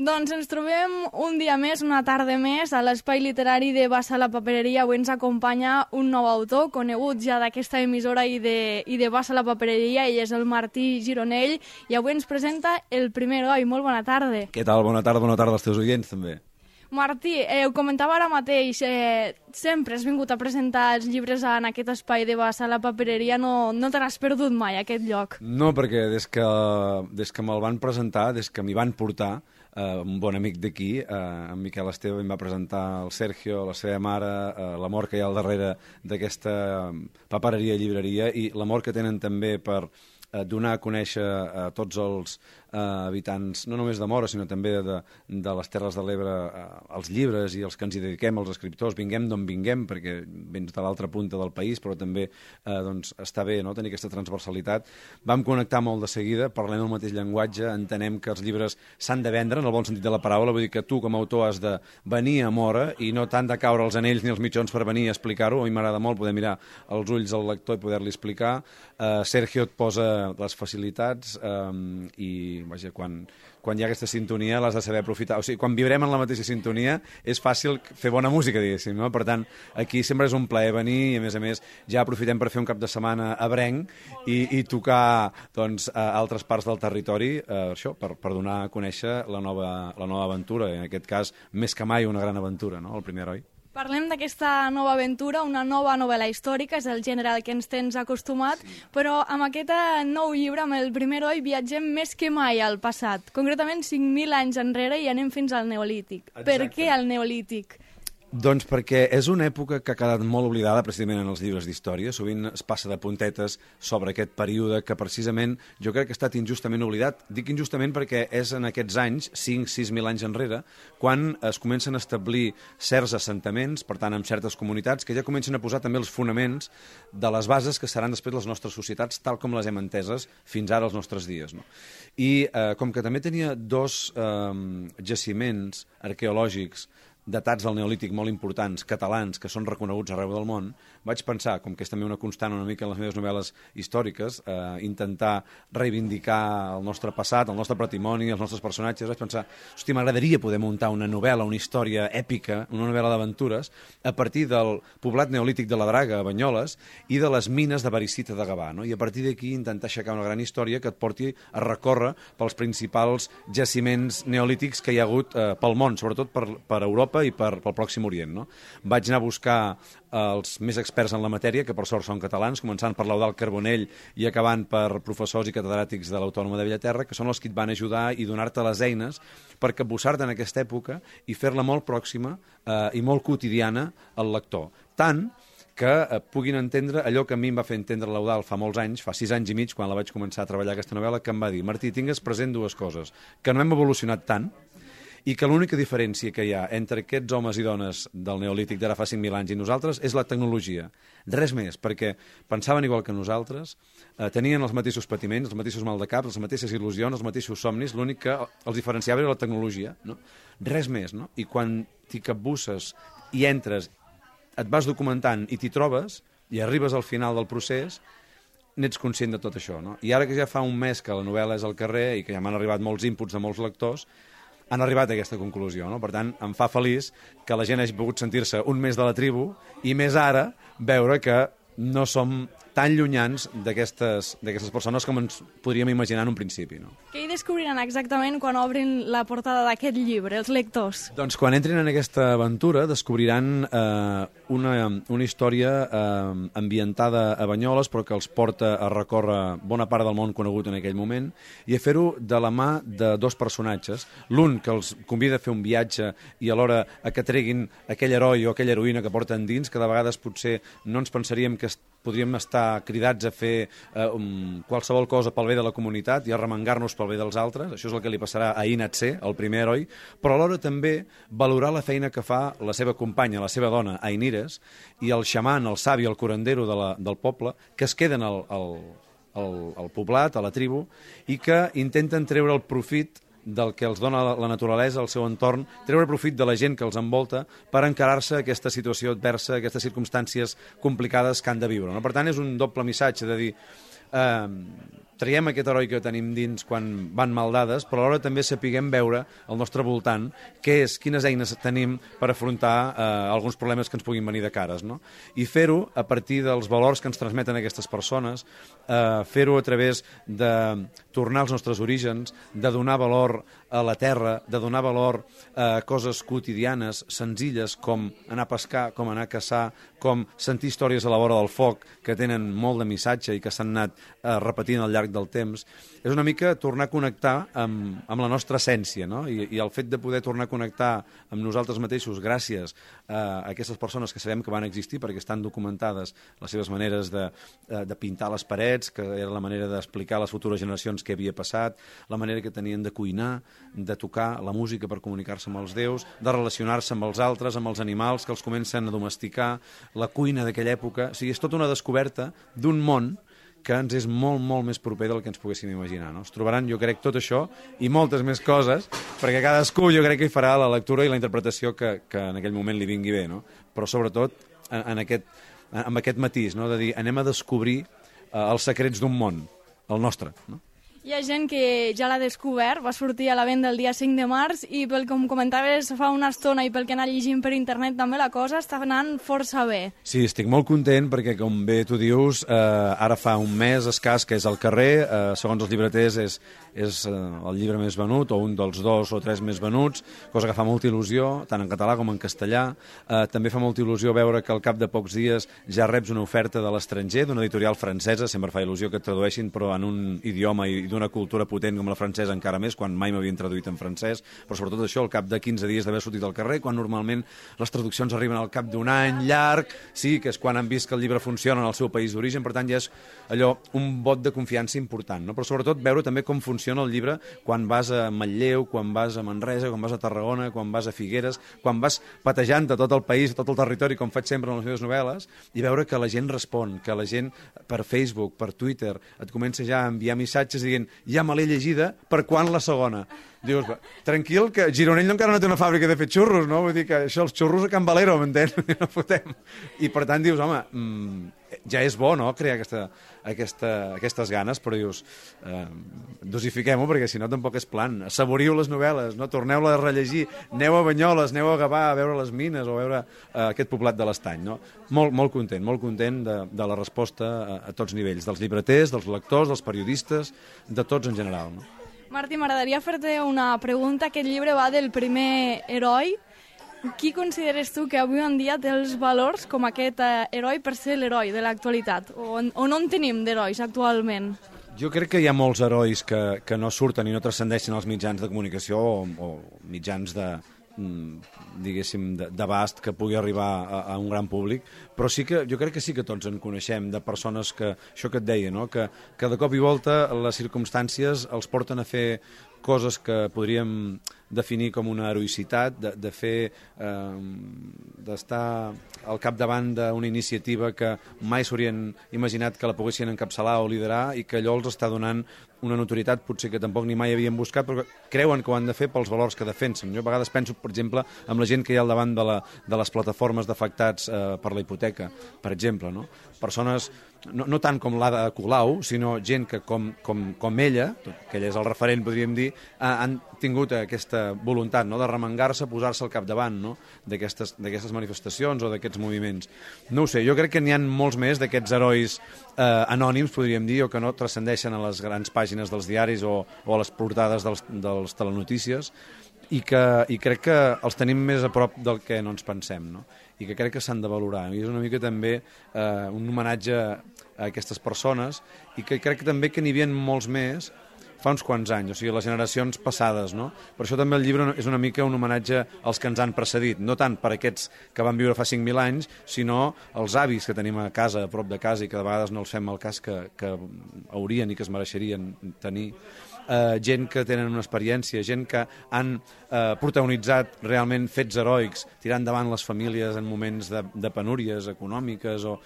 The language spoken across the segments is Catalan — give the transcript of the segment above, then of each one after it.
Doncs ens trobem un dia més, una tarda més, a l'Espai Literari de Bassa la Papereria. Avui ens acompanya un nou autor, conegut ja d'aquesta emissora i de Bassa la Papereria. Ell és el Martí Gironell i avui ens presenta El primer oi. Molt bona tarda. Què tal? Bona tarda als teus oients, també. Martí, ho comentava ara mateix, sempre has vingut a presentar els llibres en aquest espai de Bassa la Papereria, no te l'has perdut mai, aquest lloc? No, perquè des que me'l van presentar, des que m'hi van portar, un bon amic d'aquí, en Miquel Esteve, em va presentar el Sergio, la seva mare, l'amor que hi ha al darrere d'aquesta papereria i llibreria i l'amor que tenen també per donar a conèixer a tots els habitants, no només de Móra, sinó també de les Terres de l'Ebre, els llibres i els que ens hi dediquem, els escriptors, vinguem d'on vinguem, perquè vens de l'altra punta del país, però també està bé tenir aquesta transversalitat. Vam connectar molt de seguida, parlem el mateix llenguatge, entenem que els llibres s'han de vendre, en el bon sentit de la paraula, vull dir que tu com a autor has de venir a Móra i no t'han de caure els anells ni els mitjons per venir a explicar-ho. A mi m'agrada molt poder mirar els ulls al lector i poder-li explicar. Sergio et posa les facilitats i vaja, quan hi ha aquesta sintonia l'has de saber aprofitar. O sigui, quan vibrem en la mateixa sintonia és fàcil fer bona música, diguéssim, no? Per tant, aquí sempre és un plaer venir i, a més, ja aprofitem per fer un cap de setmana ebrenc i tocar a altres parts del territori, això, per donar a conèixer la nova aventura, i en aquest cas, més que mai, una gran aventura, no? El primer heroi. Parlem d'aquesta nova aventura, una nova novel·la històrica, és el gènere al que ens tens acostumat, però amb aquest nou llibre, amb El primer oi, viatgem més que mai al passat, concretament 5.000 anys enrere i anem fins al Neolític. Exacte. Per què al Neolític? Doncs perquè és una època que ha quedat molt oblidada precisament en els llibres d'història. Sovint es passa de puntetes sobre aquest període que precisament jo crec que ha estat injustament oblidat. Dic injustament perquè és en aquests anys, 5-6.000 anys enrere, quan es comencen a establir certs assentaments, per tant, amb certes comunitats, que ja comencen a posar també els fonaments de les bases que seran després les nostres societats, tal com les hem enteses fins ara als nostres dies, no? I com que també tenia dos jaciments arqueològics datats del Neolític molt importants, catalans, que són reconeguts arreu del món, vaig pensar, com que és també una constant una mica en les meves novel·les històriques, intentar reivindicar el nostre passat, el nostre patrimoni, els nostres personatges, vaig pensar, hòstia, m'agradaria poder muntar una novel·la, una història èpica, una novel·la d'aventures, a partir del poblat neolític de la Draga, a Banyoles, i de les mines de Baricita de Gavà, no? I a partir d'aquí intentar aixecar una gran història que et porti a recórrer pels principals jaciments neolítics que hi ha hagut pel món, sobretot per Europa i pel Pròxim Orient, no? Vaig anar a buscar els més experts en la matèria, que per sort són catalans, començant per l'Eudald Carbonell i acabant per professors i catedràtics de l'Autònoma de Bellaterra, que són els que et van ajudar i donar-te les eines per capbussar-te en aquesta època i fer-la molt pròxima i molt quotidiana al lector. Tant que puguin entendre allò que a mi em va fer entendre l'Eudald fa molts anys, fa 6 anys i mig, quan la vaig començar a treballar aquesta novel·la, que em va dir, Martí, tingues present dues coses, que no hem evolucionat tant, i que l'única diferència que hi ha entre aquests homes i dones del Neolític d'ara fa 5.000 anys i nosaltres és la tecnologia. Res més, perquè pensaven igual que nosaltres, tenien els mateixos patiments, els mateixos maldecaps, les mateixes il·lusions, els mateixos somnis, l'únic que els diferenciava era la tecnologia, no? Res més, no? I quan t'hi capbusses i entres, et vas documentant i t'hi trobes i arribes al final del procés, n'ets conscient de tot això, no? I ara que ja fa un mes que la novel·la és al carrer i que ja m'han arribat molts inputs de molts lectors, han arribat a aquesta conclusió, no? Per tant, em fa feliç que la gent hagi pogut sentir-se un mes de la tribu i més ara veure que no som tan llunyans d'aquestes persones com ens podríem imaginar en un principi, no? Què hi descobriran exactament quan obrin la portada d'aquest llibre, els lectors? Doncs quan entrin en aquesta aventura descobriran una història ambientada a Banyoles, però que els porta a recórrer bona part del món conegut en aquell moment i a fer-ho de la mà de dos personatges. L'un que els convida a fer un viatge i alhora a que treguin aquell heroi o aquella heroïna que porten dins, que de vegades potser no ens pensaríem que podríem estar cridats a fer qualsevol cosa pel bé de la comunitat i a remengar-nos pel bé dels altres. Això és el que li passarà a Inatse, el primer heroi, però alhora també valorar la feina que fa la seva companya, la seva dona, Ainires, i el xaman, el savi, el curandero del poble, que es queden al poblat, a la tribu, i que intenten treure el profit del que els dona la naturalesa, el seu entorn, treure profit de la gent que els envolta per encarar-se a aquesta situació adversa, a aquestes circumstàncies complicades que han de viure, no? Per tant, és un doble missatge de dir traiem aquest heroi que tenim dins quan van mal dades, però alhora també sapiguem veure al nostre voltant quines eines tenim per afrontar alguns problemes que ens puguin venir de cares, no? I fer-ho a partir dels valors que ens transmeten aquestes persones, fer-ho a través de tornar als nostres orígens, de donar valor a la terra, de donar valor a coses quotidianes, senzilles, com anar a pescar, com anar a caçar, com sentir històries a la vora del foc, que tenen molt de missatge i que s'han anat repetint al llarg del temps. És una mica tornar a connectar amb la nostra essència, no? I el fet de poder tornar a connectar amb nosaltres mateixos gràcies a aquestes persones que sabem que van existir perquè estan documentades les seves maneres de pintar les parets, que era la manera d'explicar a les futures generacions què havia passat, la manera que tenien de cuinar, de tocar la música per comunicar-se amb els déus, de relacionar-se amb els altres, amb els animals, que els comencen a domesticar, la cuina d'aquella època. O sigui, és tota una descoberta d'un món que ens és molt, molt més proper del que ens poguéssim imaginar, no? Es trobaran, jo crec, tot això i moltes més coses, perquè cadascú jo crec que hi farà la lectura i la interpretació que en aquell moment li vingui bé, no? Però sobretot amb aquest matís, no? De dir, anem a descobrir els secrets d'un món, el nostre, no? Hi ha gent que ja l'ha descobert, va sortir a la venda el dia 5 de març i pel que em comentaves fa una estona i pel que he anat llegint per internet també la cosa està anant força bé. Sí, estic molt content perquè, com bé tu dius, ara fa un mes escàs que és al carrer, segons els llibreters és el llibre més venut o un dels 2 o 3 més venuts, cosa que fa molta il·lusió, tant en català com en castellà. També fa molta il·lusió veure que al cap de pocs dies ja reps una oferta de l'estranger, d'una editorial francesa, sempre fa il·lusió que et tradueixin, però en un idioma i d'una cultura potent com la francesa encara més, quan mai m'havien traduït en francès, però sobretot això al cap de 15 dies d'haver sortit al carrer, quan normalment les traduccions arriben al cap d'un any llarg, sí, que és quan han vist que el llibre funciona en el seu país d'origen, per tant ja és allò, un vot de confiança important, no? Però sobretot veure també com funciona el llibre quan vas a Manlleu, quan vas a Manresa, quan vas a Tarragona, quan vas a Figueres, quan vas patejant a tot el país, a tot el territori, com faig sempre en les meves novel·les, i veure que la gent respon, que la gent per Facebook, per Twitter, et comença ja a enviar missatges dient ja me l'he llegida, per quan la segona? Dius, tranquil, que Gironell encara no té una fàbrica de fer xurros, no? Vull dir que això, els xurros a Can Valero, m'entens? No fotem. I per tant dius, home, ja és bo, no?, crear aquestes ganes, però dius, dosifiquem-ho, perquè si no tampoc és plan. Saboriu les novel·les, no? Torneu-les a rellegir, aneu a Banyoles, aneu a Gavà a veure les mines o a veure aquest poblat de l'Estany, no? Molt content de la resposta a tots nivells, dels llibreters, dels lectors, dels periodistes, de tots en general, no? Martí, m'agradaria fer-te una pregunta. Aquest llibre va del primer heroi. Qui consideres tu que avui en dia té els valors com aquest heroi per ser l'heroi de l'actualitat? O no en tenim d'herois actualment? Jo crec que hi ha molts herois que no surten i no transcendeixen als mitjans de comunicació o mitjans diguéssim, d'abast que pugui arribar a un gran públic, però sí que jo crec que sí que tots en coneixem, de persones que, això que et deia, no? que de cop i volta les circumstàncies els porten a fer coses que podríem definir com una heroïcitat, de fer, d'estar al capdavant d'una iniciativa que mai s'haurien imaginat que la poguessin encapçalar o liderar i que allò els està donant una notorietat potser que tampoc ni mai havien buscat, però creuen que ho han de fer pels valors que defensen. Jo a vegades penso, per exemple, amb la gent que hi ha al davant de les plataformes d'afectats per la hipoteca, per exemple, no? Persones, no tant com l'Ada Colau, sinó gent que com ella, que ella és el referent, podríem dir, han tingut aquesta voluntat, no?, de remengar-se, posar-se al capdavant, no?, d'aquestes manifestacions o d'aquests moviments. No ho sé, jo crec que n'hi ha molts més d'aquests herois anònims, podríem dir, o que no transcendeixen a les grans pàgines dels diaris o a les portades dels telenotícies, i crec que els tenim més a prop del que no ens pensem, no? I que crec que s'han de valorar. I és una mica també un homenatge a aquestes persones, i que crec que també que n'hi havia molts més fa uns quants anys, o sigui, les generacions passades, no? Per això també el llibre és una mica un homenatge als que ens han precedit, no tant per aquests que van viure fa 5.000 anys, sinó els avis que tenim a casa, a prop de casa, i que de vegades no els fem el cas que haurien i que es mereixerien tenir. Gent que tenen una experiència, gent que han protagonitzat realment fets heroics, tirant endavant les famílies en moments de penúries econòmiques, o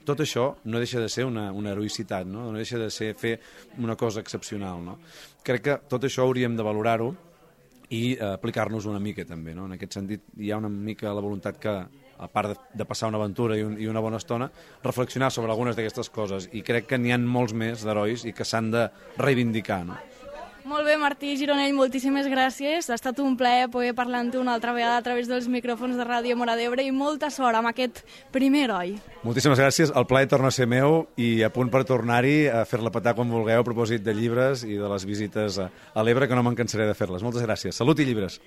tot això no deixa de ser una heroïcitat, no deixa de ser fer una cosa excepcional, no? Crec que tot això hauríem de valorar-ho i aplicar-nos una mica també, no? En aquest sentit hi ha una mica la voluntat que a part de passar una aventura i una bona estona, reflexionar sobre algunes d'aquestes coses, i crec que n'hi ha molts més d'herois i que s'han de reivindicar, no? Molt bé, Martí Gironell, moltíssimes gràcies. Ha estat un plaer poder parlar amb tu una altra vegada a través dels micròfons de Ràdio Móra d'Ebre i molta sort amb aquest primer heroi. Moltíssimes gràcies, el plaer torna a ser meu i a punt per tornar-hi a fer-la petar quan vulgueu a propòsit de llibres i de les visites a l'Ebre, que no me'n cansaré de fer-les. Moltes gràcies. Salut i llibres.